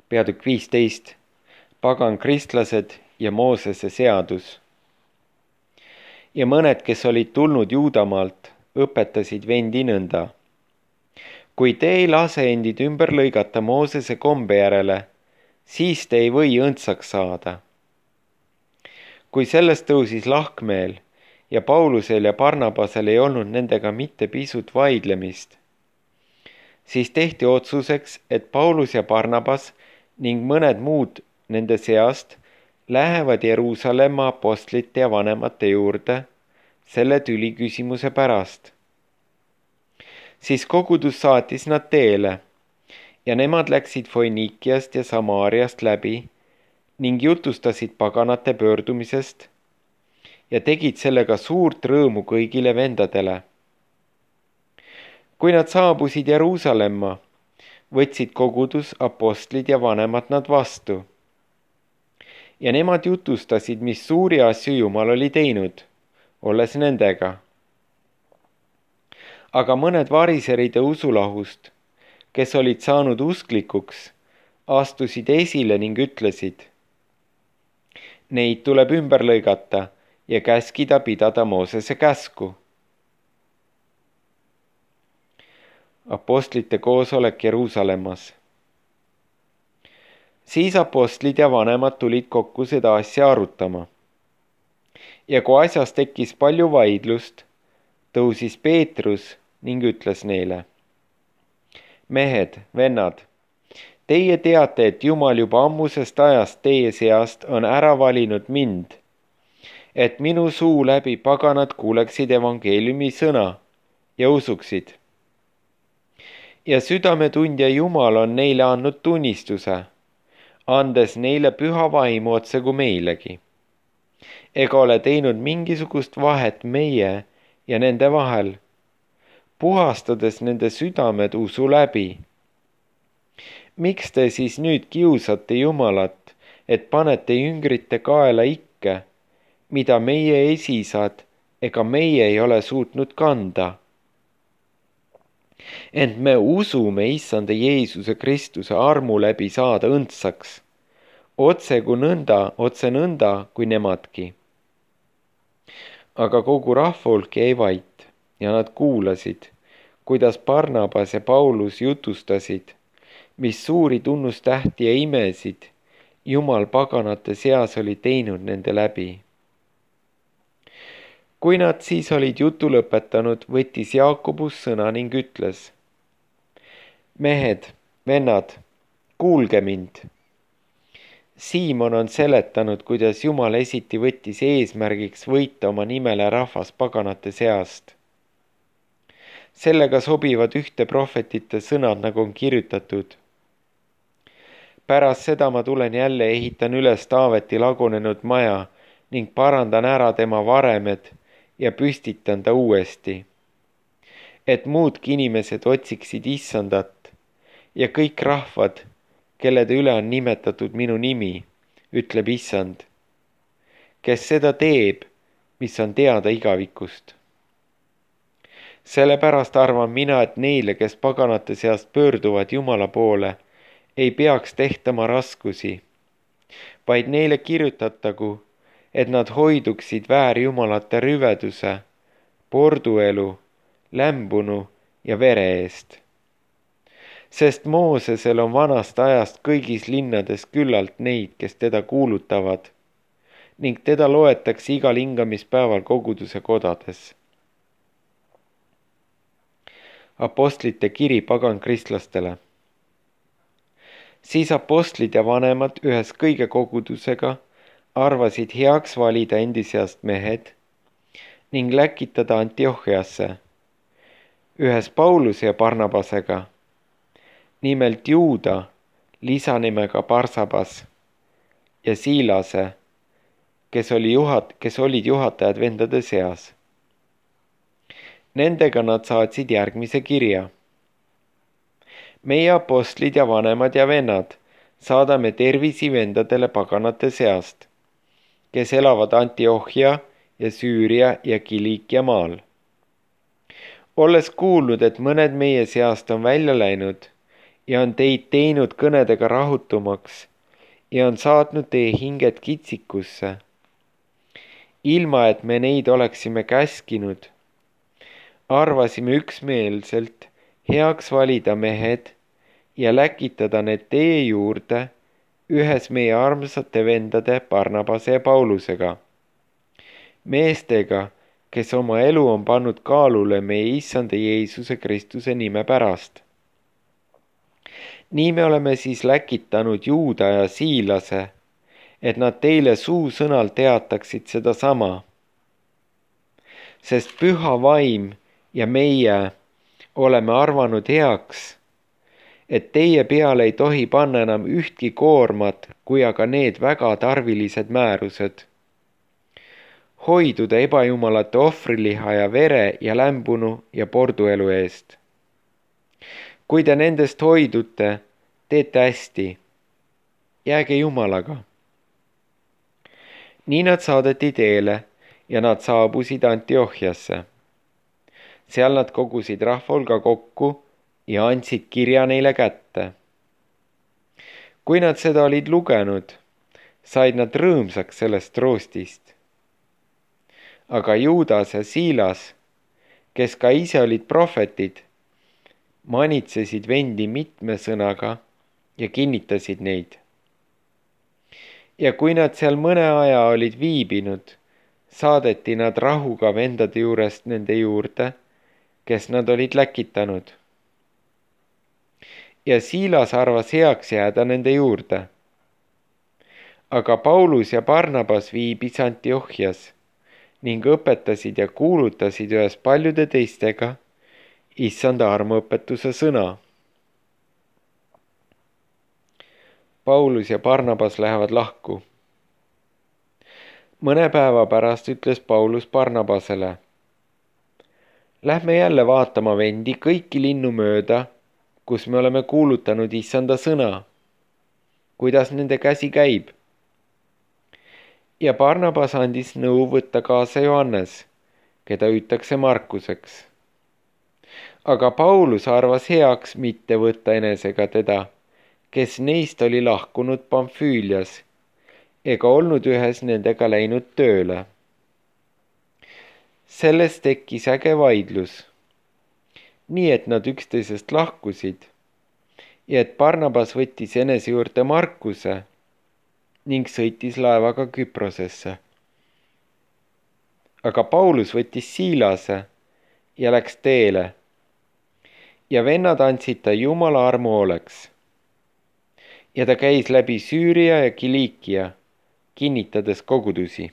peatükk 15, pagan kristlased ja Moosese seadus. Ja mõned, kes olid tulnud Juudamaalt, õpetasid vendi nõnda. Kui te ei lase endid ümber lõigata Moosese kombe järele, siis te ei või õndsaks saada. Kui sellest tõusis lahkmeel ja Paulusel ja Barnabasel ei olnud nendega mitte pisut vaidlemist, siis tehti otsuseks, et Paulus ja Barnabas ning mõned muud nende seast lähevad Jeruusalemma apostlite ja vanemate juurde selle tüliküsimuse pärast. Siis kogudus saatis nad teele ja nemad läksid Foinikiast ja Samaariast läbi ning jutustasid paganate pöördumisest ja tegid sellega suurt rõõmu kõigile vendadele. Kui nad saabusid Jeruusalemma, võtsid kogudus, apostlid ja vanemad nad vastu. Ja nemad jutustasid, mis suuri asju Jumal oli teinud, olles nendega. Aga mõned variseride usulahust, kes olid saanud usklikuks, astusid esile ning ütlesid: neid tuleb ümber lõigata ja käskida pidada Moosese käsku. Apostlite koosolek Jeruusalemmas. Siis apostlid ja vanemad tulid kokku seda asja arutama. Ja kui asjas tekkis palju vaidlust, tõusis Peetrus ning ütles neile: mehed, vennad, teie teate, et Jumal juba ammusest ajast teie seast on ära valinud mind, et minu suu läbi paganad kuuleksid evangeeliumi sõna ja usuksid. Ja südametundja Jumal on neile andnud tunnistuse, andes neile püha vaimu otse kui meilegi. Ega ole teinud mingisugust vahet meie ja nende vahel, puhastades nende südamed usu läbi. Miks te siis nüüd kiusate Jumalat, et panete jüngrite kaela ikke, mida meie esisad ega meie ei ole suutnud kanda? Ent me usume Issanda Jeesuse Kristuse armu läbi saada õndsaks, otse nõnda kui nemadki. Aga kogu rahvahulk jäi vait ja nad kuulasid, kuidas Barnabas ja Paulus jutustasid, mis suuri tunnustähti ja imesid Jumal paganate seas oli teinud nende läbi. Kui nad siis olid jutu lõpetanud, võttis Jaakobus sõna ning ütles: mehed, vennad, kuulge mind. Siimon on seletanud, kuidas Jumal esiti võttis eesmärgiks võita oma nimele rahvas paganate seast. Sellega sobivad ühte prohvetite sõnad, nagu on kirjutatud: pärast seda ma tulen jälle, ehitan üles Taaveti lagunenud maja ning parandan ära tema varemed ja püstitan ta uuesti, et muudki inimesed otsiksid Issandat ja kõik rahvad, kellede üle on nimetatud minu nimi, ütleb Issand, kes seda teeb, mis on teada igavikust. Sellepärast arvan mina, et neile, kes paganate seast pöörduvad Jumala poole, ei peaks tehtama raskusi, vaid neile kirjutatagu, et nad hoiduksid väärjumalate rüveduse, porduelu, lämbunu ja vere eest. Sest Moosesel on vanast ajast kõigis linnades küllalt neid, kes teda kuulutavad, ning teda loetakse igal hingamispäeval koguduse kodades. Apostlite kiri pagankristlastel. Siis apostlid ja vanemad ühes kõige kogudusega arvasid heaks valida endi seast mehed ning läkitada Antiochiasse, ühes Pauluse ja Barnabasega, nimelt Juuda lisanimega Barsabas ja Siilase, kes olid juhatajad vendade seas. Nendega nad saatsid järgmise kirja: meie apostlid ja vanemad ja vennad saadame tervisi vendadele paganate seast, kes elavad Antiochia ja Süüria ja Kiliikia maal. Olles kuulnud, et mõned meie seast on välja läinud ja on teid teinud kõnedega rahutumaks ja on saatnud teie hinged kitsikusse, ilma et me neid oleksime käskinud. Arvasime üksmeelselt heaks valida mehed ja läkitada need teie juurde ühes meie armsate vendade Barnabase ja Paulusega, meestega, kes oma elu on pannud kaalule meie issanda Jeesuse Kristuse nime pärast. Nii me oleme siis läkitanud Juuda ja Siilase, et nad teile suusõnal teataksid sedasama. Sest püha vaim ja meie oleme arvanud heaks, et teie peale ei tohi panna enam ühtki koormat, kui aga need väga tarvilised määrused. Hoiduda ebajumalate ohvriliha ja vere ja lämbunu ja porduelu eest. Kui te nendest hoidute, teete hästi. Jääge Jumalaga. Nii nad saadeti teele ja nad saabusid Antiochiasse. Seal nad kogusid rahvahulga kokku ja andsid kirja neile kätte. Kui nad seda olid lugenud, said nad rõõmsaks sellest roostist. Aga Juudas ja Siilas, kes ka ise olid prohvetid, manitsesid vendi mitme sõnaga ja kinnitasid neid. Ja kui nad seal mõne aja olid viibinud, saadeti nad rahuga vendade juurest nende juurde, kes nad olid läkitanud. Ja Siilas arvas heaks jääda nende juurde. Aga Paulus ja Barnabas viibis Antiochias ning õpetasid ja kuulutasid ühes paljude teistega issanda armuõpetuse sõna. Paulus ja Barnabas lähevad lahku. Mõne päeva pärast ütles Paulus Barnabasele: Lähme jälle vaatama vendi kõiki linnu mööda, kus me oleme kuulutanud issanda sõna. Kuidas nende käsi käib? Ja Barnabas andis nõu võtta kaasa Johannes, keda hüütakse Markuseks. Aga Paulus arvas heaks mitte võtta enesega teda, kes neist oli lahkunud Pamfüülias ega olnud ühes nendega läinud tööle. Sellest tekkis äge vaidlus, nii et nad üksteisest lahkusid ja et Barnabas võttis enese juurde Markuse ning sõitis laevaga Küprosesse. Aga Paulus võttis Siilase ja läks teele ja vennad andsid ta Jumala armu hooleks. Ja ta käis läbi Süüria ja Kiliikia, kinnitades kogudusi.